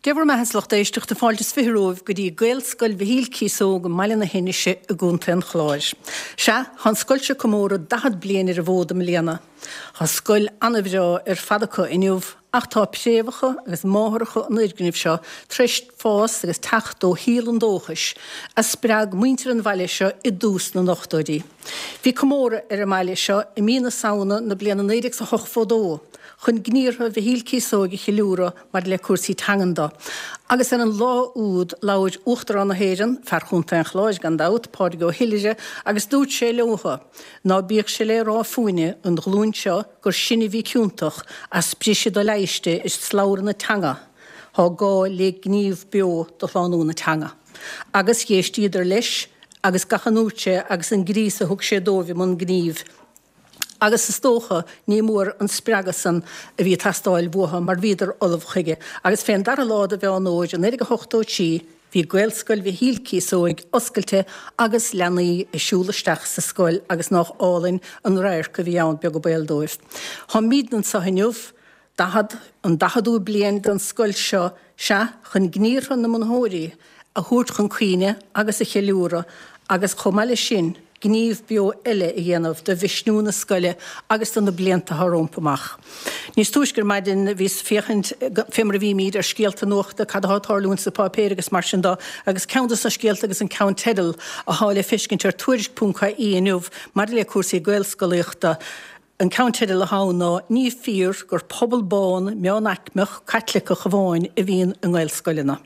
Dé bhur mbeatha a lucht éisteachta, fáilte is 20 romhaibh go dtí Gaelscoil Mhichíl Cíosóg i mBaile na hInise i gContae an Chláir. Sea, tá an scoil seo ag comóradh 40 bliain ar an bhfód i mbliana. Tá scoil ana-bhreá ar fad acu inniu ach tá préamhacha agus máithreacha an fhoirgnimh seo tar éis fás agus teacht ó shíol an dóchais a spreag muintir an bhaile seo i dtús na n-ochtóidí. Bhí comóradh ar an mbaile seo i mí na Samhna na bliana 1982 chun gníortha Mhichíl Cíosóig a cheiliúradh maidir le cúrsaí teangan do. Agus ar an lá úd labhair Uachtarán na hÉireann, fear Chontae an Chláir gan dabht, Pádraig Ó hIolaire, agus dúirt sé leotha, Ná bíodh sé le rá fúinne, an ghlúin seo, gur sinne a bhí ciontach as briseadh doleighriste i slabhra na teanga. Thá gá le gníomh beo do shlánú na teanga. Agus dh'éistíodar leis agus gach a ndúirt sé agus an gríos a thug sé dóibh i mbun gnímh. Agus is dócha ní mór an spreagadh san a bhí ag teastáil uathu mar bhíodar ullamh chuige. Agus fén dara lá de Mheán Fhómhair i 1983 bhí Gaelscoil Mhichíl Cíosóig oscailte agus leanaí ag siúl isteach sa scoil agus nách álainn an radharc a bhí ann beag an baol dóibh. Tháimídne anso inniu, 40, an daicheadú bliain den scoil seo, sea, chun gníortha na mbunaitheoirí a thabhairt chun cuimhne agus a cheiliúradh agus chomh maith leis sin, gníomh beo eile a dhéanamh do mhisniú na scoile agus do na blianta atá rompu amach. Níos túisce ar maidin bhíos ag féachaint, fé mar a bhímíd, ar scéalta nuachta, cad atá ag tarlúint sna páipéir agus mar sin do, agus ceann dos na scéalta agus an ceannteideal athá le feiscint ar Tuairisc.ie inniu maidir le cúrsaí Gaelscolaíochta, An ceannteideal atá ann ná 'Ní fíor gur pobal bán meánaicmeach Caitliceach amháin a bhíonn i nGaelscoileanna'.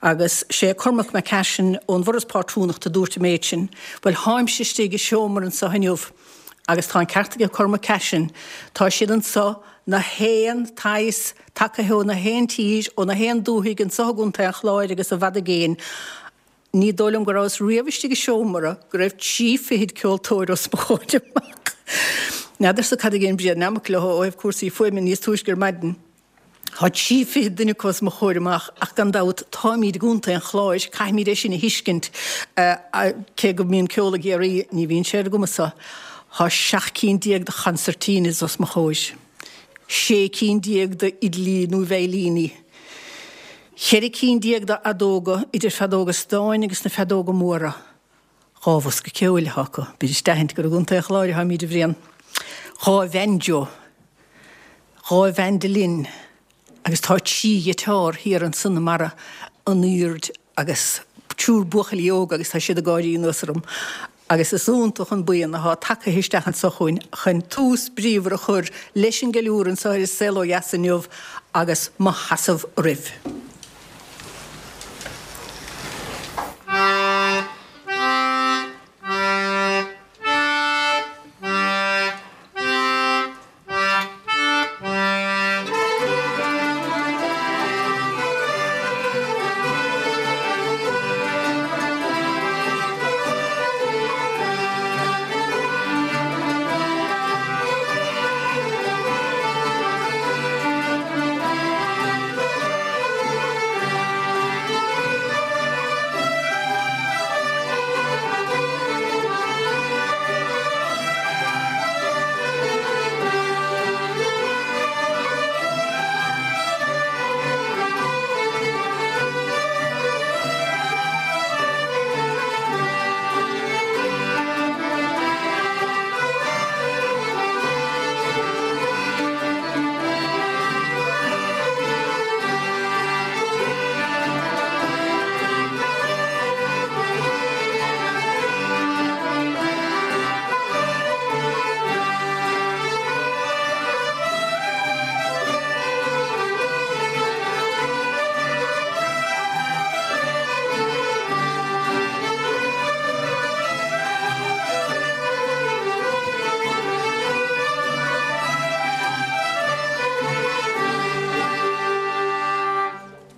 Agus sé Cormac McCashin ón bhForas Pátrúnachta a dúirt an méid sin. Bhuel, tháimse istigh i seomra anseo inniu agus tá an ceart aige Cormac Cashin, tá siad anseo na haon tsaghas, tagaithe ó na haon tír, ó na haon dúthaigh anseo i gContae an Chláir agus i bhfad i gcéin. Ní dóigh liom go rabhas riamh istigh i seomra go raibh trí fichid ceoltóir os mo chomhair amach. N'fheadarsa cad a dhein Brian Nammock leo ó thaobh cúrsaí fuaime níos túisce ar maidin. Tá trí fichid duine acu os mo chomhair amach ach gan dabht táimíd i gContae an Chláir, caithfimíd é sin a thuiscint. Cé go mbíonn ceol i gCiarraí, ní bhíonn sé ar a gcumas-sa. Tá 17 cinn de choncertinas os mo chomhair. 16 cinn d'fhidlí nó veidhlíní. 14 cinn d'fheadóga, idir feadóga stáin agus na feadóga móra. Dhá bhosca ceoil atá acu. B'fhuirist d'aithint gur i gContae an Chláir atáimíd, a Bhriain. Dhá bhanjo. Dhá mhandolin. Agus tá trí ghiotár thiar ansan i mbarra an aoird agus triúr buachaillí óga agus tá siad ag gáirí anuas orm agus is iontach an buíon athá tagaithe isteach anso chugainn chun tús bríomhar a chur leis an gceiliúradh anso ar An Saol Ó Dheas inniu agus mo sheasamh roimh.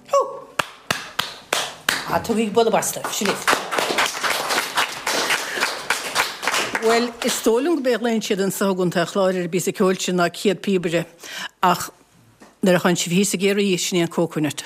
Hú! Tugaigí bualadh bos dóibh. Sin iad. Bhuel, is dóigh liom go b'é a ghlaonn siad anso i gContae an Chláir ar an bpíosa ceoil sin ná céad píobaire, ach. Nuair a tánn sibh thíos i gCiarraí, sin é an Coconut.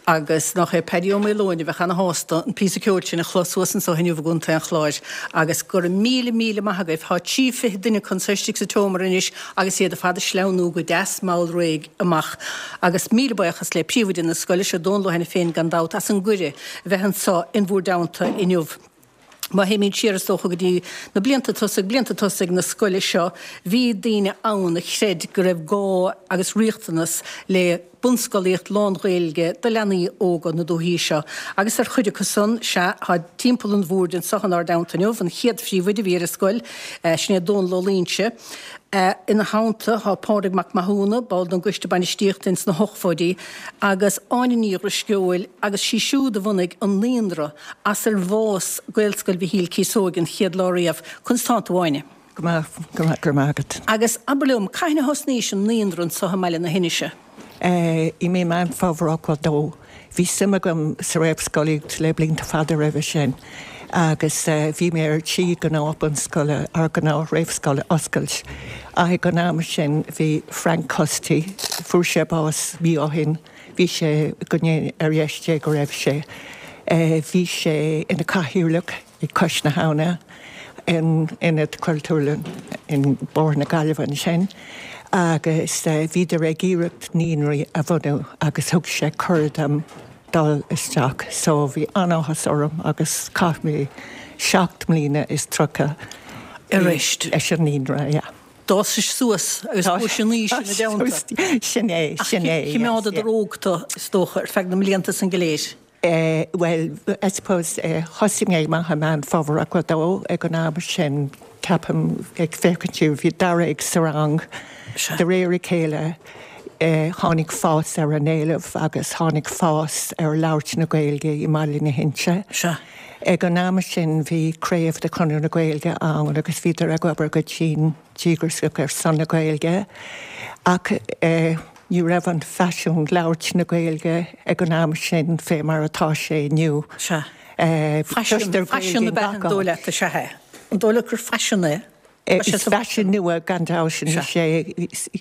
Agus nach é Paddy Ó Maoileoin a bheadh ana-shásta an píosa ceoil sin a chlos thuas anso inniu i gContae an Chláir. Agus go raibh míle, míle maith agaibh. Tá 23 duine acu anso istigh sa tseomra anois agus iad ar fad ag sleamhnú go deas mall réidh amach. Agus míle buíochas le príomhoide na scoile seo, Dónal Ó hAiniféin gan dabht, as an gcuireadh a bheith anso in bhúr dteannta inniu. Má théimid siar, is dócha, go dtí na blianta tosaigh, blianta tosaigh na scoile seo, bhí daoine ann a chreid go raibh gá agus riachtanas le bunscolaíocht lán-Ghaeilge do leanaí óga na dúichí seo. Agus ar chuid acu san, sea, tá timpeall an bhoird anseo inár dteannta inniu, an chéad phríomhoide a bhí ar an scoil, sin é Dónal Ó Loingsigh. Ina theannta tá Pádraig Mac Mathúna, ball den gcoiste bainistíochta ins na hochtóidí, agus Áine Ní Dhrisceoil, agus sí siúd a bhunaigh an naíonra as ar bhfás Gaelscoil Mhichíl Cíosóig an chéad lá riamh. Conas tánn tú, Áine? Go maith, go maith, go raibh maith agat. Agus abair liom, cathain a thosnaís an naíonra anso i mBaile na hInise? I mí Meán Fómhair 82. Bhí suim agam sa réamhscolaíocht le blianta fada roimhe sin agus bhí mé ar tí gnáth-bhunscoile, ar gnáth-réamhscoil a oscailt. Ach ag an am sin bhí Frank Custy, fuair sé bás mí ó shin, Bhí sé, go ndéana ar dheis Dé go raibh sé, bhí sé ina chathaoirleach ag Cois na hAbhna, in Ionad Cultúrlann in Bóthar na Gaillimhe ansin agus bhíodar ag iarracht naíonraí a bhunú agus thug sé cuireadh dom dul isteach so bhí an-áthas orm agus chaith mé 37 mbliana leis an naíonra, yeah. D'fhásais suas agus chuais in aois ina dteannta. Sin é, sin é. Ach chimeádadar óg tú, is dócha, ar feadh na mblianta san go léir. Bhuel, I suppose, thosaigh mé amach i Meán Fómhair 82, ag an am sin, ceapaim, ag féachaint siar, bhí dáréag sa rang. De réir a chéile, tháinig fás ar an éileamh agus tháinig fás ar labhairt na Gaeilge i mBaile na hInse. Ag an am sin bhí craobh de Chonradh na Gaeilge ann agus bhíodar ag obair go dian díograiseach ar son na Gaeilge ach ní raibh an phaisean labhairt na Gaeilge ag an am sin fé mar atá sé inniu. Sea. Faisean, faisean ab ea an dóigh leat, is ea é? An dóigh leat gur faisean é? Is faisean nua gan dabht anois é.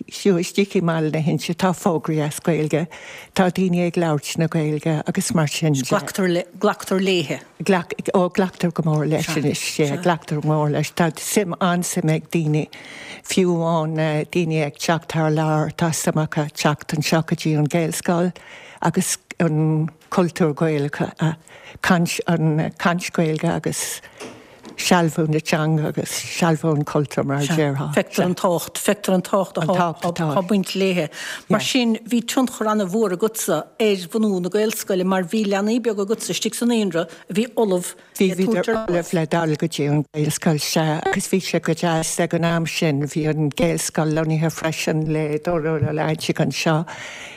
Fiú istigh i mBaile na hInse tá fógraí as Gaeilge, tá daoine ag labhairt na Gaeilge agus mar sin de. Glactar le, glactar léithe. Glac, ó glactar go mór leis anois, sea, glactar go mór leis. Tá suim, an-suim ag daoine, fiú amháin daoine ag teacht thar lear, tá suim acu teacht anseo go dtí an Ghaelscoil agus an cultúr Gaelach a, caint, an caint Gaeilge agus. sealbhú na teanga agus sealbhú an chultúir, mar a déarfá. Feictear an tábhacht, feictear an tábhacht atá ag baint léithe. Mar sin, bhí tionchar an-mhór agatsa ar bhunú na Gaelscoile mar bhí leanaí beaga agatsa istigh sa naíonra a bhí ullamh le tabhairt ar Bhí, bhíodar ullamh le dul go dtí an Ghaelscoil, sea, agus bhí sé go deas ag an am sin, bhí an Ghaelscoil lonnaithe freisin le Dónal Ó Loingsigh anseo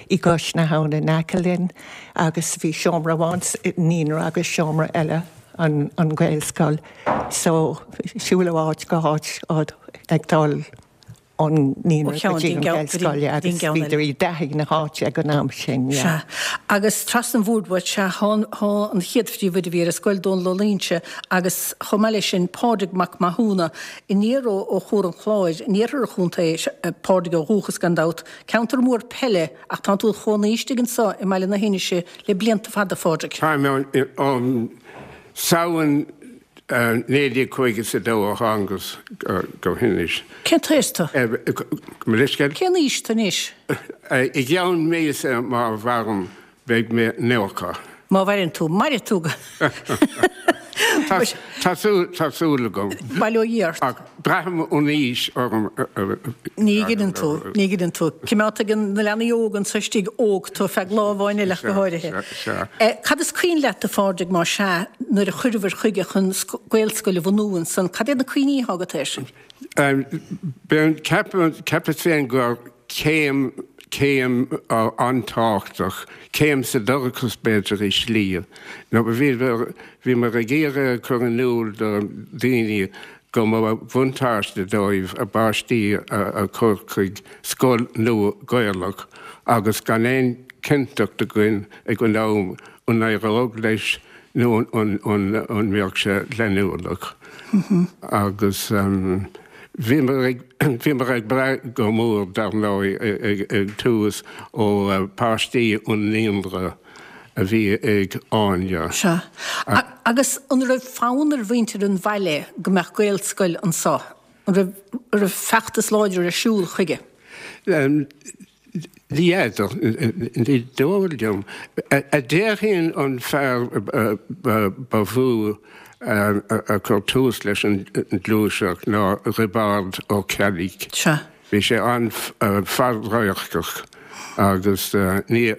i gCois na hAbhna in aice linn agus bhí seomra amháin sa naíonra agus seomra eile an Ghaelscoil so siúl ó áit go háit ag dul ón naíonra go dtí an Ghaelscoil agus bhíodar i dtaithí na háite ag an am sin, yeah. Sea. Agus trasna an bhoird uait, sea, thá an chéad phríomhoide a bhí ar an scoil, Dónal Ó Loingsigh, agus chomh maith leis sin, Pádraig Mac Mathúna, aniar ó Chuar an Chláir, in iarthar an chontae, Pádraig ó dhúchas gan dabht, ceantar mór peile ach tánn tú id chónaí istigh anso i mBaile na hInse le blianta fada, a Phádraig. Táim ann Samhain 1952 a thángas go hInis. Cén t-aois tú? Mo leithscéal? Cén aois tú anois? I gceann míosa má mhairim beidh mé 90. Má mhaireann tú. Mairfidh tú. Tá súil agam. Bail ó Dhia ort. Ach braithim an aois orm. Ní ghineann tú, ní ghineann tú. Cimeádfaidh na leanaí óga anso istigh óg tú feadh lá amháin eile ach go háirithe. Cad is cuimhin leat a Phádraig, más ea, nuair a chuireabhair chuige chun Gaelscoil a bhunú ansan, cad iad na cuimhní atá agat air sin? Ceapas féin gur céim, céim an-tábhachtach, céim sa dorchas b'fhéidir i slí, nó bhíomar ag iarraidh a chur in iúl do dhaoine go mba bhuntáiste dóibh a bpáistí a chur chuig scoil nua Ghaelach agus gan aon chinnteacht againn ag an am an éireodh leis nó an mbeadh sé leanúnach. Agus. Bhíomar ag, bhíomar ag brath go mór, dar ndóigh, ag tús ó páistí an naíonra a bhí ag Áine. Sea. Agus an raibh fonn ar mhuintir an bhaile go mbeadh Gaelscoil anso? An raibh, an raibh feachtas láidir ar siúl chuige? Ní fheadar, ní dóigh liom. A déarfainn an fear ba mhó a chuir tús leis an ghluaiseacht ná Roibeárd Ó Ceallaigh. Sea. Bhí sé an-fhadradharcach agus níor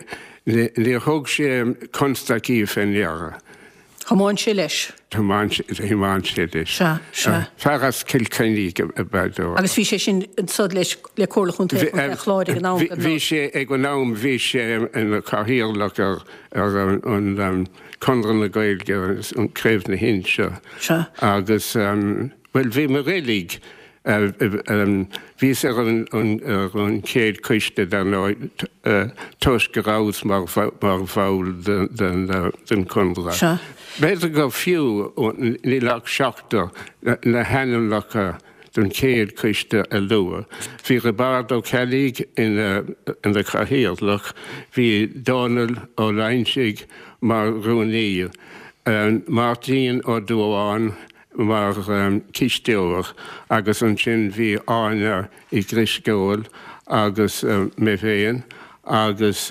thug sé constaicí fé ndeara. Thiomáin sé leis. Thiomáin sé leis. Sea, sea. Fear as Cill Chainnigh ab ea dó. Agus bhí sé sin anso leis, le Comhairle Chontae Chontae an Chláir ag an am, dar ndóigh. Bhí sé ag an am, bhí sé ina chathaoirleach ar ar an Conradh na Gaeilge agus an Craobh na hInse. Sea. Agus, bhuel, bhíomar uilig, bhíos ar an chéad choiste, dar ndóigh, toisc go rabhas mar bhall den Chonradh. Sea. B'fhéidir gur fiú, níl ach seachtar, na hainmneacha don chéad choiste a lua. Bhí Roibeárd Ó Ceallaigh ina chathaoirleach, bhí Dónal Ó Loingsigh mar rúnaí, Máirtín Ó Dubháin mar chisteoir agus ansin bhí Áine Uí Dhrisceoil agus mé féin agus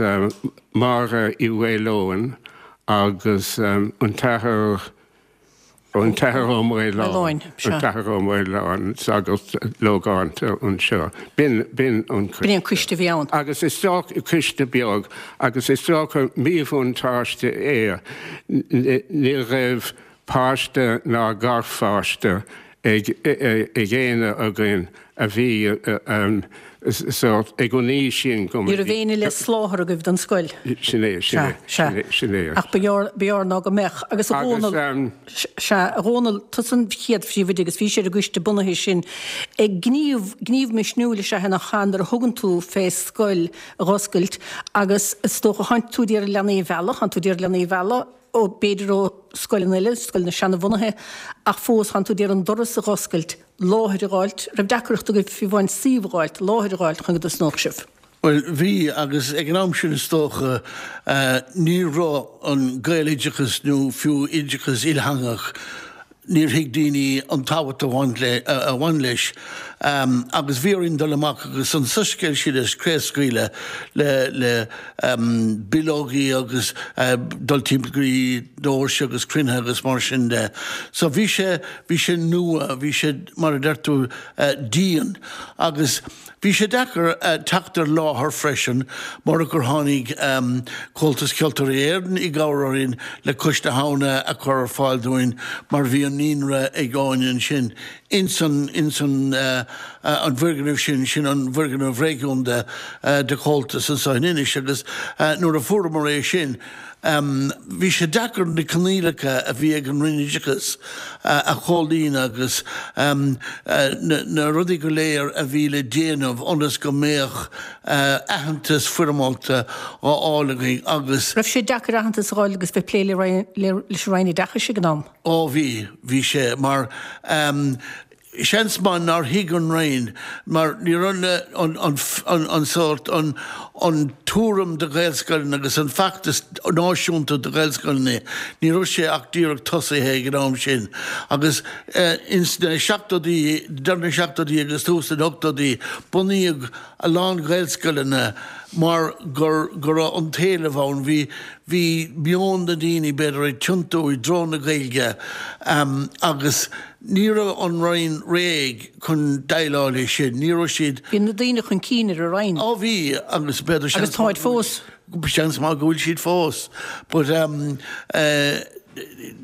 Máire Uí Mhaoileoin agus an tAthair An tAthair Ó Maoláin, an tAthair Ó Maoláin, sagart logánta anseo. B'in, b'in an coiste. B'in an coiste a bhí ann. Agus is dócha, coiste beag, agus is dócha míbhuntáiste é, ní raibh páiste ná garpháiste ag éinne againn a bhí sórt ag an aois sin go Ní raibh éinne le soláthar agaibh don scoil. Sin é, sin é, sin é, sin é. Ach ba ghearr, ba ghearr ná go mbeadh. Agus a Dhónaill, sea, a Dhónaill, tusa an chéad phríomhoide agus bhís ar an gcoiste bunaithe sin. Gníomh, gníomh misniúil is ea é nach ea nuair a thugann tú fé scoil a dh'oscailt agus is dócha, thánn tú d'iarraidh leanaí a mhealladh, thánn tú d'iarraidh leanaí a mhealladh, ó, b'fhéidir ó scoileanna eile, scoileanna seanabhunaithe, ach fós thánn tú d'iarraidh an doras a dh'oscailt, láthair a dh'fháilt. Raibh deacracht agaibh fiú amháin suíomh a dh'fháilt, láthair a dh'fháilt chun go dtosnódh sibh? Bhuel, bhí, agus ag an am sin is dócha ní raibh an Gaeloideachas nó fiú oideachas ilteangach, níor thuig daoine an tábhacht a bhain leis agus bhí orainn dul amach agus an soiscéal sin a chraobhscaoileadh le bileogaí agus dul timpeall go dtí doirse agus cruinnithe agus mar sin de. So bhí sé, bhí sé nua, bhí sé mar a deir tú dian agus Bhí sé deacair teacht ar láthair freisin mura gur tháinig Comhaltas Ceoltóirí Éireann i gcabhair orainn le Cois na hAbhna a chur ar fáil dúinn mar bhí an naíonra ag Áine ansin ins an ins an an bhfoirgneamh sin, sin an bhfoirgneamh réigiúnda de Chomhaltas anso in Inis agus nuair a fuaireamar é sin Bhí sé deacair na coinníollacha a bhí ag an Roinn Oideachais a chomhlíonadh agus na rudaí go léir a bhí le déanamh ionas go mbeadh aitheantas foirmeálta á fháil againn agus. Raibh sé deacair aitheantas a fháil agus bheith ag plé leis an Roinn Oideachais ag an am? Ó bhí, bhí sé mar Seans maith nár thuig an Roinn, mar ní raibh an sórt, an tuairim do Ghaelscoileanna agus an feachtas náisiúnta do Ghaelscoileanna, ní raibh sé ach díreach tosaithe ag an am sin. Agus ins na seachtóidí, deireadh na seachtóidí agus tús na n-ochtóidí, bunaíodh a lán Gaelscoileanna mar go raibh an t-éileamh ann. Bhí, bhí meon na ndaoine, b'fhéidir, ag tiontú i dtreo na Gaeilge agus, Ní raibh an Roinn réidh chun déileáil leis sin. Ní raibh siad. Bhí na daoine chun cinn ar an Roinn. Ó bhí, agus b'fhéidir seans. Agus táid fós. Seans maith go bhfuil siad fós. But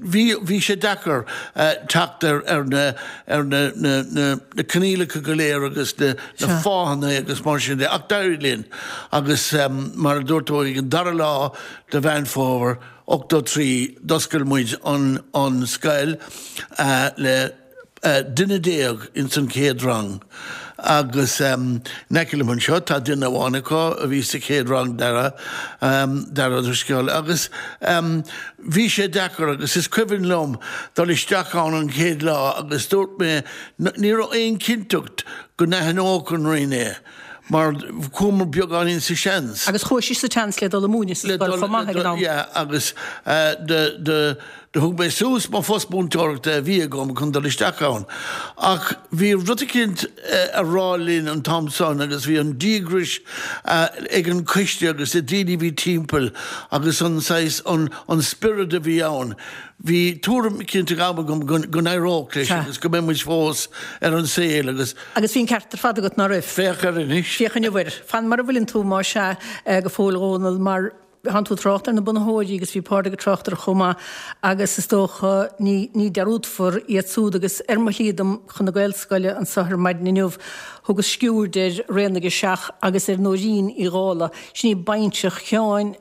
bhí, bhí sé deacair teacht ar, ar na, ar na, na, na, na coinníollacha go léir agus na, na fáthanna agus mar sin de. Ach d'éirigh linn. Agus mar a dúirt tú, ag an dara lá de Mheán Fómhair, 83, d'oscail muid an scoil le duine ins an chéad rang. Agus in aice liom anseo tá duine amháin acu a bhí sa chéad rang, Dara, Dara Ó Drisceoil. Agus bhí sé deacair agus is cuimhin liom dul isteach ann an chéad lá agus dúirt mé ní raibh aon chinnteacht go n-aithneodh an Roinn é mar chuamar beagáinín sa seans. Agus chuaigh sibh sa tseans le dul ag múineadh sa scoil chomh maith ag an am. Yeah agus do Do thug mé suas mo phost múinteoireachta a bhí agam chun dul isteach ann. Ach bhí rud eicínt a rá linn an t-am san agus bhí an díograis ag an choiste agus na daoine a bhí timpeall agus an saghas, an spiorad a bhí ann. Bhí tuairim eicínt ag am agam go n-éireodh leis agus go mbeidh muid fós ar an saol agus. Agus bhí an ceart ar fad agat, ná raibh? Féach air anois. Féach inniu air. Fan mar a bhfuileann tú, más ea, go fóill, a Dhónaill, mar. Thánn tú ag trácht ar na bunaitheoirí agus bhí Pádraig ag trácht orthu chomh maith agus is dócha ní ní dearúdfar iad súd agus ar mo shlí dom chun na Gaelscoile anseo ar maidin inniu thugas sciúird ar Raonaigh 7 agus ar Nóirín Uí Dhálaigh, sin í bainseach Sheáin,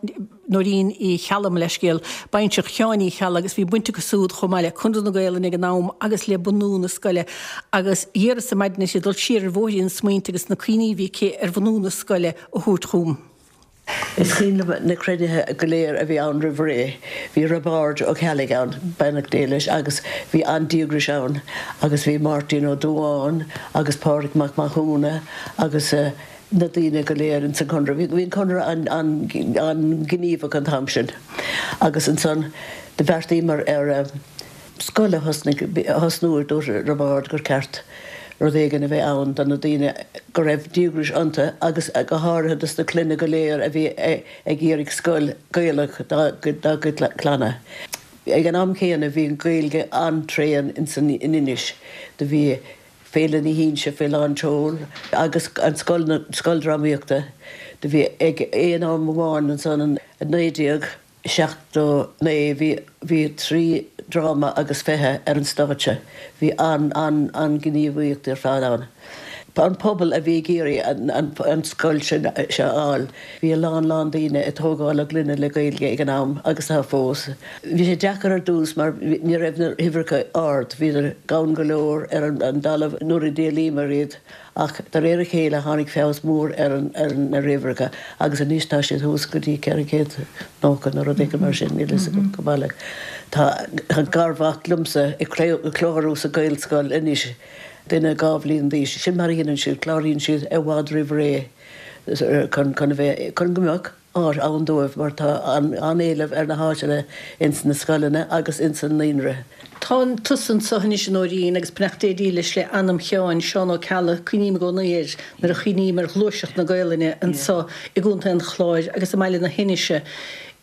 Nóirín Uí Cheallaigh, mo leithscéal, bainseach Sheáin Uí Cheallaigh agus bhí baint acu súd chomh maith le Conradh na Gaelainne ag an am agus le bunú na scoile agus d'iarras ar maidin uirthi dul siar ar bhóithrín na smaointe agus na cuimhní a bhí aici ar bhunú na scoile a thabhairt chugam. Is cuimhin liom na cruinnithe go léir a bhí ann roimh ré. Bhí Roibeárd Ó Ceallaigh ann, beannacht Dé leis, agus bhí an-díograis ann agus bhí Máirtín Ó Dubháin agus Pádraig Mac Mathúna agus na daoine go léir ins an Chonradh. Bhí an Conradh an-ghníomhach an t-am sin agus ansan do bheartaíomar ar. scoil a thosnú, dúirt Roibeárd gur ceart rud éigin a bheith ann do na daoine go raibh díograis iontu agus go háirithe dos na clainne go léir a bhí ag iarraidh scoil Ghaelach dá gcuid clanna. Ag an am céanna bhí an Ghaeilge an-tréan ins an Inis. Do bhí Féile na hInse faoi lán tseoil agus an scoil scoil drámaíochta. Do bhí ag aon am amháin ansan in 19. 79 bhí bhí 3 dráma agus 20 ar an stáitse. Bhí an an an-ghníomhaíocht ar fad ann. An pobal a bhí ag iarraidh an an an scoil sin seo a fháil. Bhí a lán lán daoine ag tógáil a gclainne le Gaeilge ag an am agus tá fós. Bhí sé deacair ar dtús mar ní raibh na huimhreacha ard, bhíodar gann go leor ar an an dtalamh nuair a d'éilíomar iad. Ach de réir a chéile tháinig feabhas mór ar na huimhreacha agus anois tá siad thuas go dtí 490 nó rud éigin mar sin, níl a fhios agam go baileach. Tá garmhac liomsa ag clárú sa Ghaelscoil anois, duine 2 bhliain d'aois. Sin mar a dhéanann siad, cláraíonn siad i bhfad roimh ré chun a bheith, chun go mbeadh. áit ann dóibh mar tá an-éileamh ar na háiteanna ins na scoileanna agus ins an naíonra. Tá tusa anseo anois a Nóirín agus beannacht Dé dílis le anam Sheáin, Seán Ó Ceallaigh, cuimhním i gcónaí air nuair a chuimhním ar ghluaiseacht na Gaolainne anseo i gContae an Chláir agus i mBaile na hInise.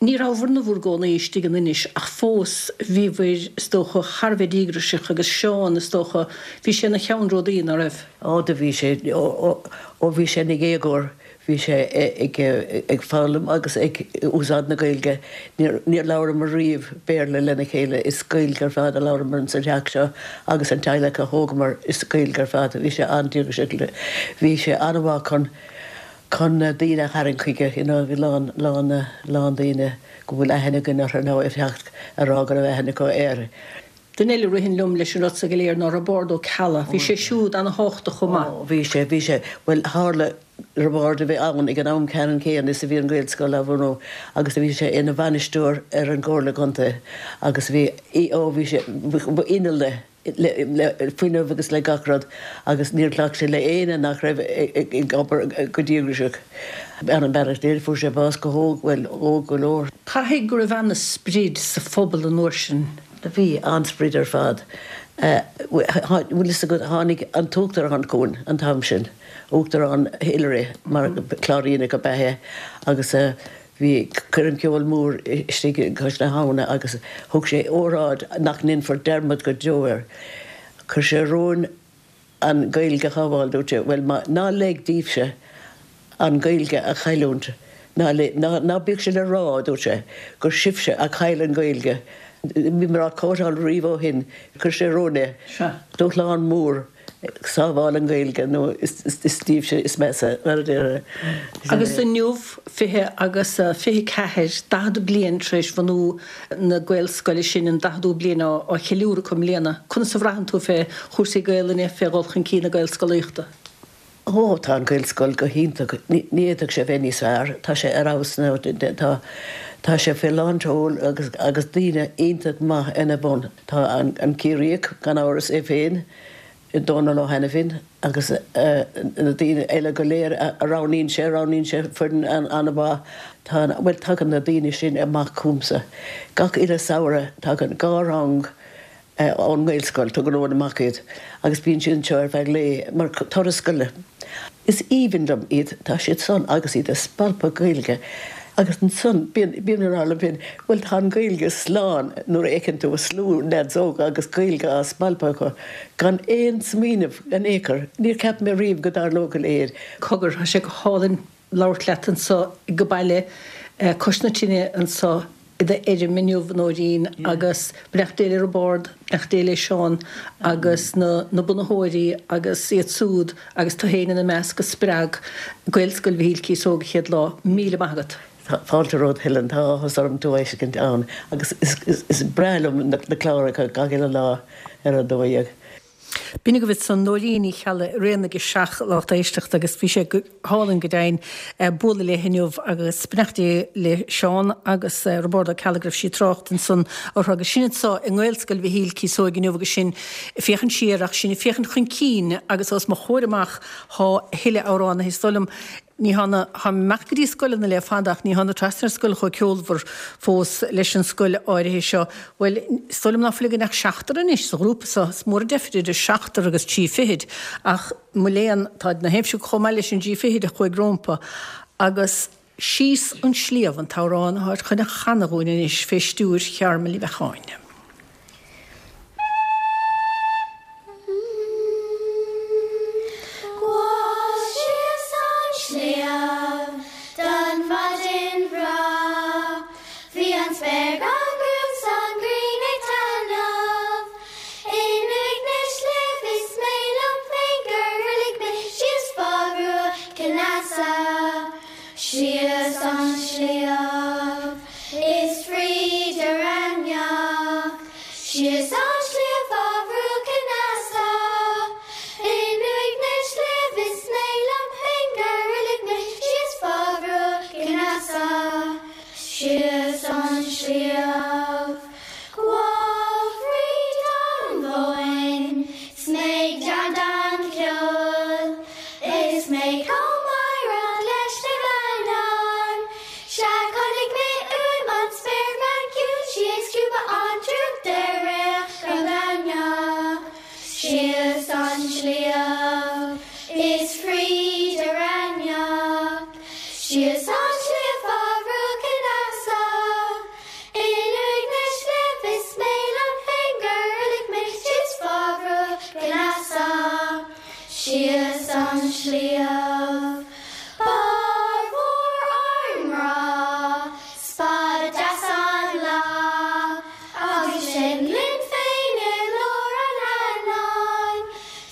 Ní rabhabhair in bhur gcónaí istigh in Inis ach fós bhíobhair, is dócha, thar a bheith díograiseach agus Seán, is dócha, bhí sé ina cheannródaí, ná raibh? Ó do bhí sé, ó bhí sé ina dhéagóir Bhí sé ag foghlaim agus ag úsáid na Gaeilge. Níor labhramar riamh Béarla lena chéile, is Gaeilge ar fad a labhramar sa teach seo agus an teaghlach a thógamar, is Gaeilge ar fad. Bhí sé an-díograiseach. Bhí sé an-mhaith chun chun daoine a tharraingt chuige, you know, bhí lán lán lán daoine go bhfuil aithne againn orthu nó ag teacht a rá go raibh aithne acu air. Duine eile a ritheann liom leis an rud so go léir ná Roibeárd Ó Ceallaigh. Bhí sé siúd ana-thábhachtach chomh maith. Ó, bhí sé, bhí sé. Bhuel, tharla Roibeárd a bheith ann ag an am ceannann céanna is a bhí an Ghaelscoil á bhunú agus bhí sé ina bhainisteoir ar an gComhairle Contae agus bhí, ó, bhí sé, ba inneall é le, le fuinneamh agus le gach rud agus níor ghlac sé le éinne nach raibh ag obair go díograiseach. Beannacht Dé, fuair sé bás go hóg, bhuel, óg go leor. Caithfidh go raibh ana-sprid sa phobal an uair sin. Do bhí, an-sprid ar fad. Bhfuil fhios agat, tháinig an tUachtarán chugainn an t-am sin, Uachtarán Hillary, mar Cláiríneach ab ea é, agus bhí coirm ceoil mór istigh cois na habhna agus thug sé óráid nach ndéanfar dearmad go deo air. Chuir sé romhainn an Ghaeilge a shábháil, dúirt sé, bhuel, má, ná leig daoibhse an Ghaeilge a chailliúint, ná, ná, ná bíodh sé le rá, dúirt sé, gur sibhse a chaill an Ghaeilge. Bhíomar á quoteáil riamh ó shin, chuir sé romhainn é, dúshlán mór, sábháil an Ghaeilge nó is, is daoibhse is measa, mar a déarfá. Agus inniu, 20 agus 24, 40 bliain tar éis bhunú na Gaelscoile sin, an daicheadú bliain á cheiliúradh acu i mbliana. Conas a bhraitheann tú fé chúrsaí Gaelainne, fé dhul chun cinn na Gaelscolaíochta? Ó, tá an Ghaelscoil go hiontach. Ní fhéadfadh sé bheith níos fearr. Tá sé ar fheabhas now. Tá, tá sé faoi lán tseoil agus, agus daoine iontach maith ina bhun. Tá an, an Ciarraíoch, gan amhras, é féin, Dónal Ó hAiniféin agus na daoine eile go léir a roghnaíonn sé, roghnaíonn sé foireann an-mhaith. Tá an, bhuel, tagann na daoine sin amach chugamsa. Gach uile samhradh tagann 2 rang ón nGaelscoil, tugann Eoin amach iad agus bíonn siad anseo ar feadh lae mar turas scoile. Is aoibhinn liom iad, tá siad san agus iad ag spalpadh Gaeilge agus ansan bíonn, bím ag rá liom féin, bhuel tá an Ghaeilge slán nuair a fheiceann tú slua leaids óga agus Gaeilge á spalpadh acu gan aon smaoineamh in aon chor. Níor cheap mé riamh go dtarlódh a leithéid. Cogar, tá sé go hálainn labhairt leat anseo ag baile cois na tine anseo i d'fheirm inniu, a Nóirín, agus beannacht Dé le Roibeárd, beannacht Dé le Seán agus na na bunaitheoirí agus iad súd agus tú féin ina measc a spreag Gaelscoil Mhichíl Cíosóg an chéad lá. Míle maith agat. Fáilte romhat Helen, tá áthas orm tú a fheiscint ann agus is breá liom na cláracha gach uile lá ar a 12. B'in agaibh ansan Nóirín Ní Cheallaigh ar aon ag a seach lucht éisteachta agus bhí sé go hálainn go deimhin bualadh léi inniu agus beannacht Dé le Seán agus Roibeárd Ó Ceallaigh go raibh sí ag trácht ansan orthu agus sinn anso i nGaelscoil Mhichíl Cíosóig inniu agus sinn ag féachaint siar ach sinn ag féachaint chun cinn agus os mo chomhair amach thá a thuilleadh amhránaithe is dóigh liom Ní thána, táim amach go dtí scoileanna le fada ach ní thána trasna ar scoil chomh ceolmhar fós leis an scoil áirithe seo. Bhuel, is dóigh liom ná fuil againn ach seachtar anois sa ghrúpa seo. Is mór an deifir idir seachtar agus trí fichid ach mo léan, táid na haimsir chomh maith leis an dtrí fichid a chuaigh rómpa. Agus Síos an Sliabh an t-amhrán atáid chun a chanadh dhúinn anois fé stiúir Chearmail Uí Bheacháin. Gabhas síos an sliabh don mhaidin bhreá Bhí an spéir gan gruaim 's an ghrian ag taitneamh In uaigh na sléibh is mé liom féin gur fhruiligh mé síos fá bhruach Cionn Easa Síos an sliabh is fríd an airneach, Síos an sliabh fá bhruach Chionn Easa. In uaigh na sléibh is mé liom féin gur fhruiligh mé síos fá bhruach Chionn Easa. Síos an sliabh. Gabháil fríd an mhóin 's mé ag deandán ceoil Is mé chomh meidhreach leis na meannáin Sea chonaic mé uaim an spéirbhean chiúin 'Sí ag scuabadh an drúcht ar réidh go glaineach Síos an sliabh is fríd an airneach Síos an sliabh fá bhruach Chionn Easa In uaigh na sléibh is mé liom féin gur fhruiligh mé síos fá bhruach Chionn Easa, síos an sliabh. Ba mhór ár ngrá 's ba deas an lá agus sinn linn féin i lár an airneáin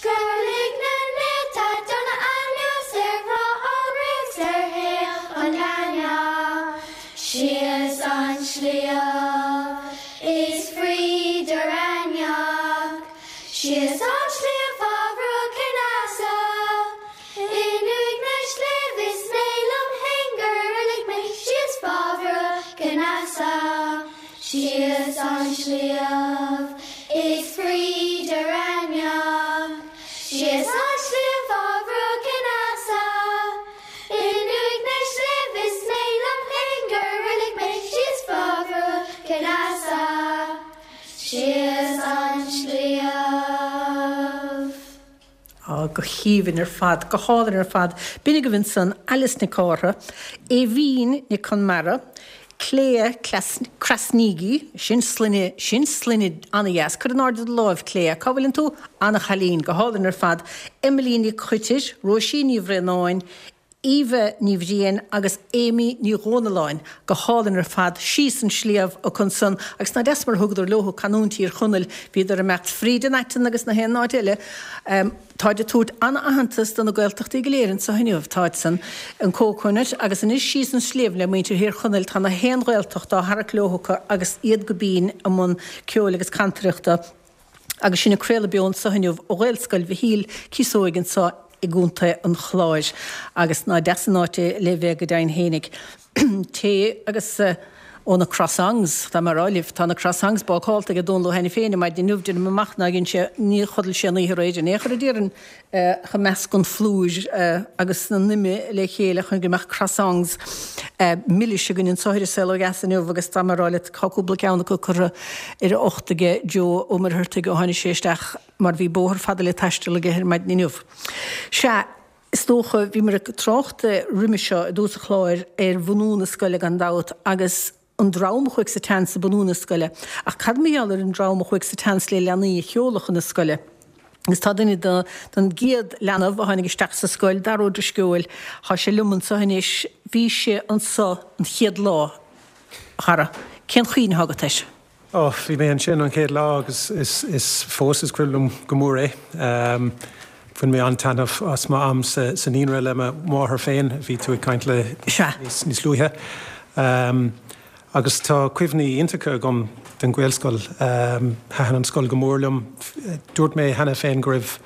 gur lig na néalta donna anuas ar bhláth an fhraoich 's ar thaobh an ghleanna. Síos an sliabh is fríd an airneach, Síos an sliabh fá bhruach Chionn Easa. In uaigh na sléibh is mé liom fhéin gur fhruiligh mé síos fá bhruach Chionn Easa. Síos an sliabh is fríd an airneach, Síos an sliabh fá bhruach Chionn Easa. In uaigh na sléibh is mé liom féin gur fhruiligh mé síos fá bhruach Chionn Easa, síos an sliabh. Á, go haoibhinn ar fad, go hálainn ar fad. B'in agaibh ansan Alice Nic Cártha, Aoibhín Nic Conmara, Clea Krasniqi, sin sloinne, sin sloinne an-dheas. Cuir in airde do láimh, Clea. Cá bhfuileann tú? An-chailín, go hálainn ar fad. Emily Nic Choitir, Róisín Ní Bhraonáin, Eva Ní Bhriain agus Amy Ní Dhomhnalláin. Go hálainn ar fad. Síos an sliabh acu ansan agus nach deas mar a thugadar leothu canúint Thír Chonaill. Bhíodar ag imeacht fríd an aiteann agus na haon áit eile. Táid ag tabhairt an-aitheantas do na Gaeltachtaí go léir anseo inniu. Táid san, an Coconut, agus anois síos an sliabh le muintir Thír Chonaill tá na haon Ghaeltacht á tharrac leo acu agus iad go binn i mbun ceoil agus cantaireachta. Agus sinn ag craoladh beo anseo inniu ó Ghaelscoil Mhichíl Cíosóig anseo i. i gContae an Chláir agus ná deas an áit é le bheith go deimhin fhéinig. Tae agus ó na croissants, tá mé a rá libh, tá na croissants bácálta ag Dónal Ó hAiniféin ar maidin inniu, déanaim amach nár dhein sé, níor chodail sé an oíche aréir in aon chor a déarfainn, chomh measc an phlúir agus na n-ime le chéile chun go mbeadh croissants milis againn anseo ar An Saol Ó Dheas inniu agus tá mé a rá leat tá cúpla ceann acu curtha ar a ucht aige Joe Ó Muircheartaigh ó tháinig sé isteach mar bhí bóthar fada le taisteal aige ar maidin inniu. Sea, Is dócha, bhíomar ag trácht roimhe seo i dtús an chláir ar bhunú na scoile gan dabht agus an dream a chuaigh sa tseans ag bunú na scoile. Ach cad mar gheall ar an dream a chuaigh sa tseans le leanaí a sheoladh chun na scoile? Agus tá duine de den gcéad leanbh a tháinig isteach sa scoil, Dara Ó Drisceoil, tá sé liom anseo anois. Bhí sé anseo an chéad lá, a Dhara. Cén chuimhne atá agat air? Ó, bhí mé ansin an chéad lá agus is fós is cuimhin liom go mór é. Bhain mé an-taitneamh as m'am sa naíonra le mo mháthair féin, a bhí tú ag caint léi níos luaithe. Agus tá cuimhní iontacha agam den Ghaelscoil. Thaitin an scoil go mór liom. Dúirt mé cheana féin go raibh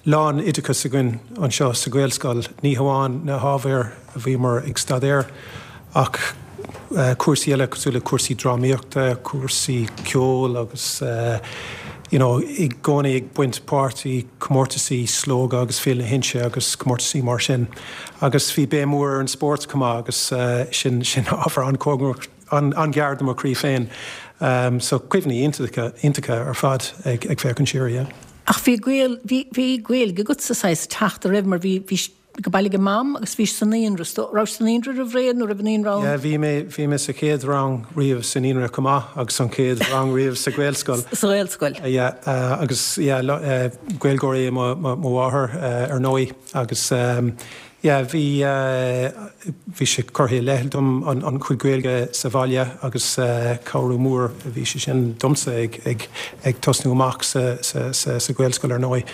lán-oideachas againn anseo sa Ghaelscoil, ní hamháin na hábhair a bhíomar ag staidéar ach cúrsaí eile cosúil le cúrsaí drámaíochta, cúrsaí ceoil agus you know i gcónaí ag baint páirt i comórtasaí Slógadh agus Féile na hInse agus comórtasaí mar sin. Agus bhí béim mhór ar an spórt chomh maith agus sin sin ábhar an-chóngarach an-ghar do mo chroí féin. So cuimhní iontacha iontacha ar fad ag ag féachaint siar, yeah. Ach bhí Gael, bhí, bhí Gaeilge agat sa saghas teach, an raibh mar bhí, bhí go baile ag Mam agus bhís sa naíonra, is dóigh, raibh sa naíonra roimh ré nó raibh an naíonra ann? Yeah, bhí mé, bhí mé sa chéad rang riamh sa naíonra chomh maith agus an chéad rang riamh sa Ghaelscoil. Sa Ghaelscoil. Yeah, agus yeah, Gaeilgeoir é mo, mo, mo mháthair ar ndóigh agus Yeah, bhí, bhí sé curtha i leith dom an chuid Gaeilge sa bhaile agus cabhrú mór a bhí sé sin domsa ag, ag, ag tosnú amach sa, sa, sa, sa Ghaelscoil ar ndóigh.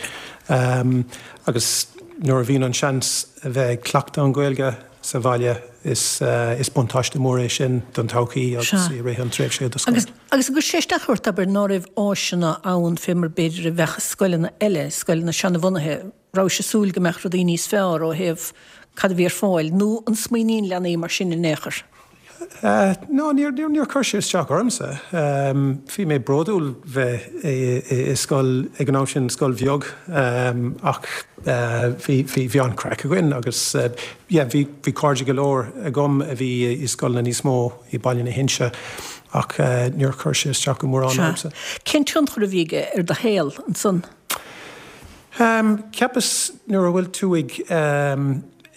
Agus nuair a bhíonn an seans a bheith ag cleachtadh an Ghaeilge sa bhaile is, is buntáiste mór é sin don todhchaí agus i rith an tréimhse i do scoil. Agus, agus an gcuir sé isteach ort, abair, ná raibh áiseanna ann fé mar b'fhéidir a bheadh i scoileanna eile, scoileanna seanabhunaithe? Rabhais ag súil go mbeadh rudaí níos fearr ó thaobh cad a bhí ar fáil, nó an smaoiníonn leanaí mar sin in aon chor? No, níor, níor chuir sé isteach ormsa. Bhí mé bródúil bheith i scoil, ag an am sin, scoil bheag, ach bhí, bhí, bhí an-chraic againn agus yeah, bhí, bhí cairde go leor agam a bhí i scoileanna níos mó i Baile na hInse ach níor chuir sé isteach go mórán ormsa. Cén tionchar a bhí aige ar do shaol ansan? Cheapas nuair a bhfuil tú ag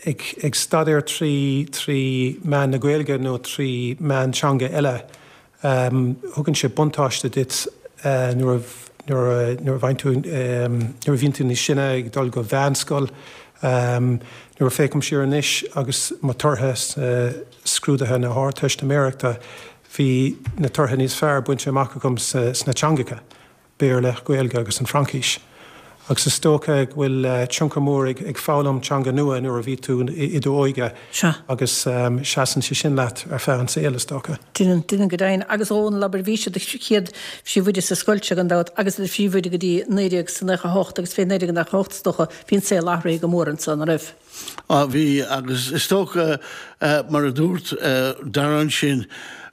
ag staidéar trí trí mheán na Gaeilge nó trí mheán teanga eile, thugann sé buntáiste duit nuair a nuair a nuair a bhain tú nuair a bhíonn tú níos sine ag dul go mheánscoil. Nuair a féachaim siar anois agus mo tortha sna scrúduithe na hArdteistiméireachta, bhí na tortha níos fearr bainte amach agam sna teangacha. Béarla, Gaeilge agus an Fraincis. Agus is dócha go bhfuil tionchar mór ag foghlaim teanga nua nuair a bhí tú i d'óige agus seasann sé sin leat ar feadh an saoil, is dócha. Déanann, déanann go deimhin. Agus a Dhónaill, abair, bhís i do chéad phríomhoide sa scoil seo gan dabht agus i do phríomhoide go dtí 1998 agus fé 1998 is dócha, bhí an saol athraithe go mór anso, ná raibh? Á, bhí, agus is dócha, mar a dúirt Dara ansin,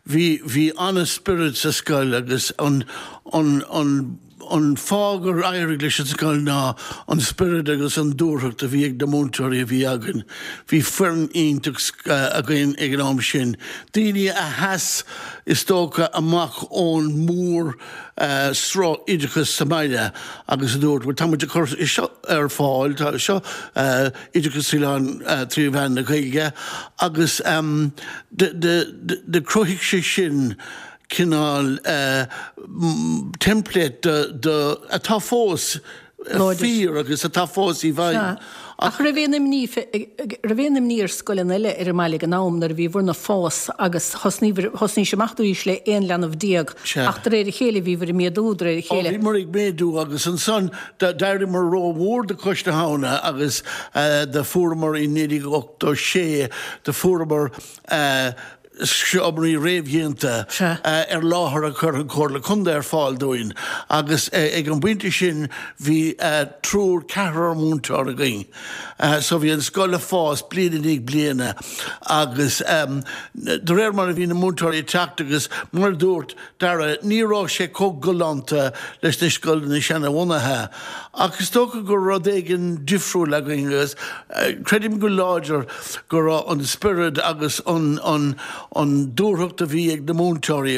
bhí, bhí an-spiorad sa scoil agus an, an, an, an fáth gur éirigh leis an scoil ná an spiorad agus an dúthracht a bhí ag na múinteoirí a bhí againn. Bhí foireann iontach againn ag an am sin, daoine a sheas, is dócha, amach ón mór sruth oideachais sa mbaile agus a dúirt, bhuel tá muid ag cur seo ar fáil, tá seo oideachas trí mheán na Gaeilge agus do chruthaigh sé sin cineál template do atá fós fíor agus atá fós i bhfeidhm. Ach raibh aon imní, raibh aon imní ar scoileanna eile ar an mbaile ag an am nuair a bhíobhair ag fás agus thosnaíobhair, thosnaís amach arís le 11 leanbh ach de réir a chéile bhíobhair ag méadú de réir a chéile. Ó bhíomar ag méadú agus ansan d'éiríomar rómhór do Chois na hAbhna agus do fuaireamar i 1986 do fuaireamar. seomraí réamhdhéanta ar láthair a chuir an Chomhairle Contae ar fáil dúinn agus ag an bpointe sin bhí triúr, ceathrar múinteoir againn. So bhí an scoil ag fás bliain i ndiaidh bliana agus de réir mar a bhí na múinteoirí ag teacht agus mar a dúirt Dara, ní raibh sé chomh galánta leis na scoileanna seanabhunaithe ach is dócha go raibh rud éigin difriúil againn agus creidim go láidir go raibh an spiorad agus an an dúthracht a bhí ag na múinteoirí,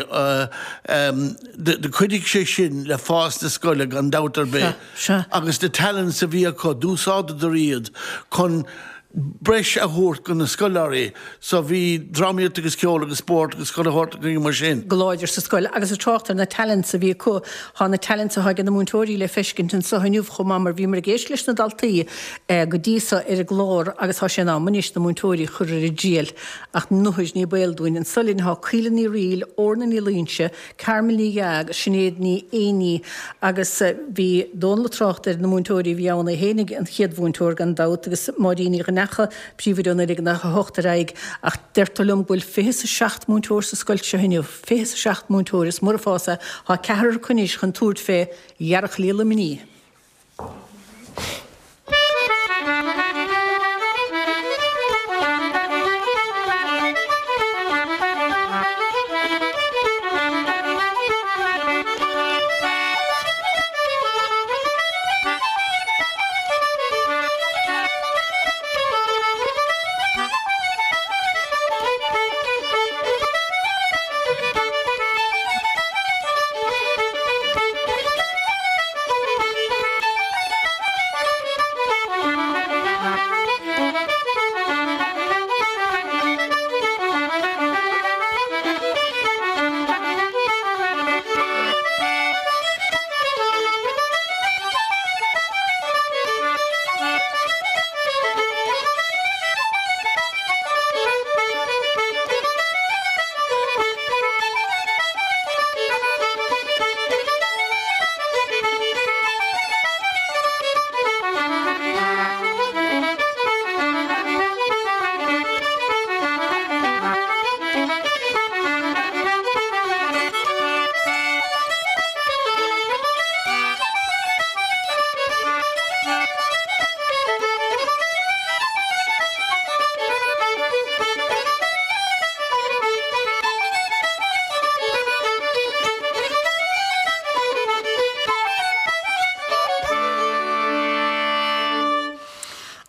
do chuidigh sé sin le fás na scoile gan dabht ar bith agus na talents a bhí acu, d'úsáideadar iad chun breis a thabhairt do na scoláirí. So bhí drámaíocht agus ceol agus spórt agus chuile shórt againn mar sin. go láidir sa scoil. Agus ag trácht ar na talents a bhí acu, tá na talents atá ag na múinteoirí le feiscint anseo inniu chomh maith mar bhíomar ag éisteacht leis na daltaí go dtí so ar an gclár agus tá sé in am anois na múinteoirí a chur ar a dtriail. Ach nuair ní baol dúinn. Anseo linn tá Caoile Ní Fhrighil, Orna Ní Loingsigh, Carmel Ní Dheá agus Sinéad Ní Éanaí agus bhí Dónal ag trácht ar na múinteoirí a bhí ann, é fhéinig an chéad mhúinteoir gan dabht agus Máirín Ní Dhonnchadha, príomhoide ó 1998 ar aghaidh ach deirtear liom go bhfuil fiche 's a seacht múinteoir sa scoil seo inniu, fiche 's a seacht múinteoir, is mór an fás é, tá ceathrar acu anois chun tabhairt fé Ghearrchailí Luimnigh.